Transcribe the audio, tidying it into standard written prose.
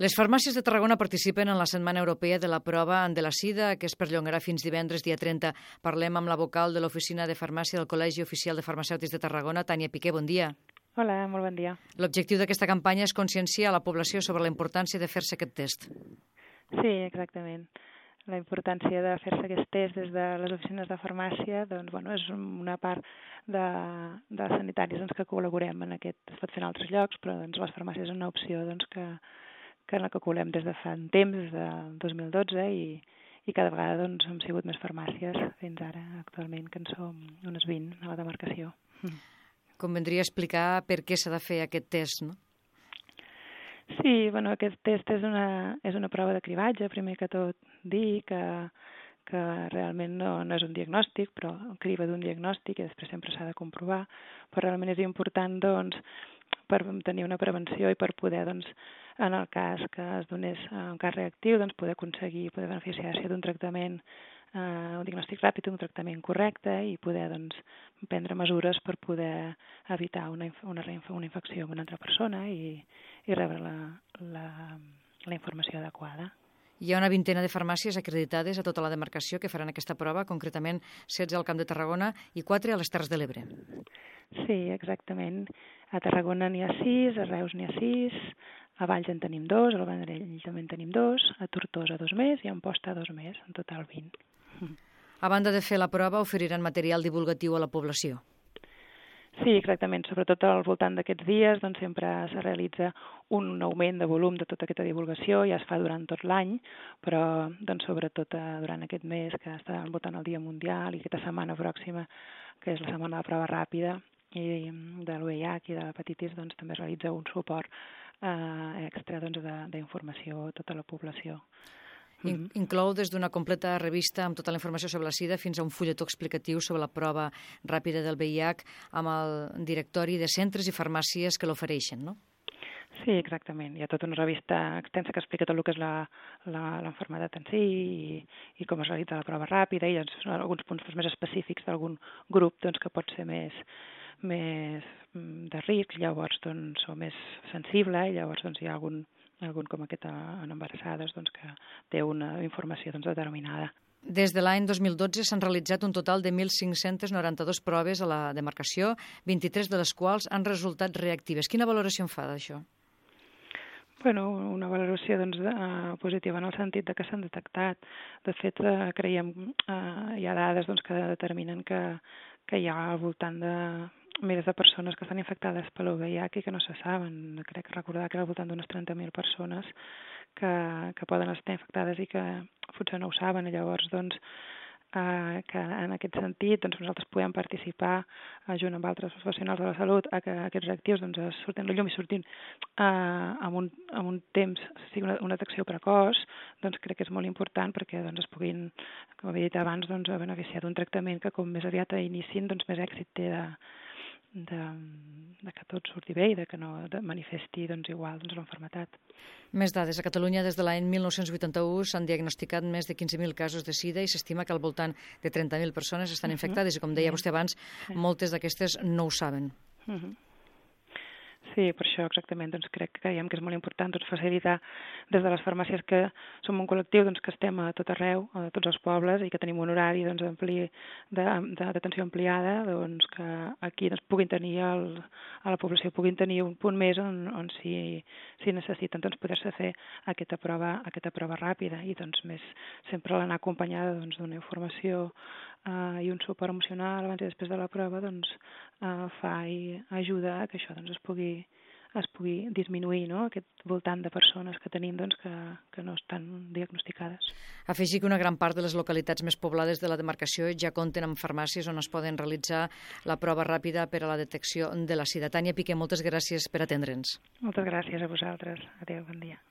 Les farmàcies de Tarragona participen en la Setmana Europea de la Prova de la Sida, que es perllongarà fins divendres, dia 30. Parlem amb la vocal de l'Oficina de Farmàcia del Col·legi Oficial de Farmacèutics de Tarragona, Tània Piqué. Bon dia. Hola, molt bon dia. L'objectiu d'aquesta campanya és conscienciar la població sobre la importància de fer-se aquest test. Sí, exactament. La importància de fer-se aquest test des de les oficines de farmàcia és una part de sanitaris que col·laborem en aquest. Es pot fer en altres llocs, però les farmàcies és una opció en la que col·laborem des de fa un temps, des del 2012, i cada vegada hem sigut més farmàcies fins ara, actualment, que en som unes 20 a la demarcació. Convendria explicar per què s'ha de fer aquest test, no? Sí, aquest test és una prova de cribatge, primer que tot dir que realment no és un diagnòstic, però criba d'un diagnòstic i després sempre s'ha de comprovar, però realment és important per tenir una prevenció i per poder, en el cas que es donés un cas reactiu, poder beneficiar-se d'un tractament, un diagnòstic ràpid, un tractament correcte i poder prendre mesures per poder evitar una infecció en una altra persona i rebre la informació adequada. Hi ha una vintena de farmàcies acreditades a tota la demarcació que faran aquesta prova, concretament 16 al Camp de Tarragona i 4 a les Terres de l'Ebre. Sí, exactament. A Tarragona n'hi ha 6, a Reus n'hi ha 6, a Valls en tenim 2, al Vendrell també en tenim 2, a Tortosa 2 més i a Amposta 2 més, en total 20. A banda de fer la prova, oferiran material divulgatiu a la població. Sí, exactament. Sobretot al voltant d'aquests dies sempre se realitza un augment de volum de tota aquesta divulgació, ja es fa durant tot l'any, però sobretot durant aquest mes que està al voltant del Dia Mundial i aquesta setmana pròxima, que és la setmana de prova ràpida i de l'UIH i de l'hepatitis, també es realitza un suport extra d'informació a tota la població. Inclou des d'una completa revista amb tota la informació sobre la sida fins a un fulletó explicatiu sobre la prova ràpida del VIH amb el directori de centres i farmàcies que l'ofereixen, no? Sí, exactament. Hi ha tota una revista extensa que explica tot el que és l'enfermedat en si i com es realitza la prova ràpida i alguns punts més específics d'algun grup que pot ser més de risc, llavors o més sensible, i llavors hi ha algun com aquest en embarassades que té una informació determinada. Des de l'any 2012 s'han realitzat un total de 1.592 proves a la demarcació, 23 de les quals han resultat reactives. Quina valoració en fa d'això? Una valoració positiva en el sentit que s'han detectat. De fet, creiem hi ha dades que determinen que hi ha al voltant de milers de persones que estan infectades per l'VIH i que no se saben. Crec recordar que era al voltant d'unes 30.000 persones que poden estar infectades i que potser no ho saben. Llavors, que en aquest sentit nosaltres podem participar junt amb altres professionals de la salut a que aquests reactius surtin a la llum i surtin amb un temps, sigui una detecció precoç, crec que és molt important perquè es puguin, com havia dit abans, beneficiar d'un tractament que com més aviat inicin, més èxit té de que tot surti bé i de que no manifesti igual l'enfermetat. Més dades. A Catalunya, des de l'any 1981, s'han diagnosticat més de 15.000 casos de sida i s'estima que al voltant de 30.000 persones estan infectades i, com deia vostè abans, moltes d'aquestes no ho saben. Sí, per això exactament creiem que és molt important facilitar des de les farmàcies que som un col·lectiu que estem a tot arreu, a tots els pobles i que tenim un horari d'atenció ampliada, que aquí puguin tenir a la població puguin tenir un punt més on si necessiten poder-se fer aquesta prova ràpida i més sempre l'anar acompanyada d'una informació i un suport emocional abans i després de la prova fa i ajuda a que això es pugui disminuir, no? Aquest voltant de persones que tenim que no estan diagnosticades. Afegir que una gran part de les localitats més poblades de la demarcació ja compten amb farmàcies on es poden realitzar la prova ràpida per a la detecció de la sida. Tània Piqué, moltes gràcies per atendre'ns. Moltes gràcies a vosaltres. Adéu, bon dia.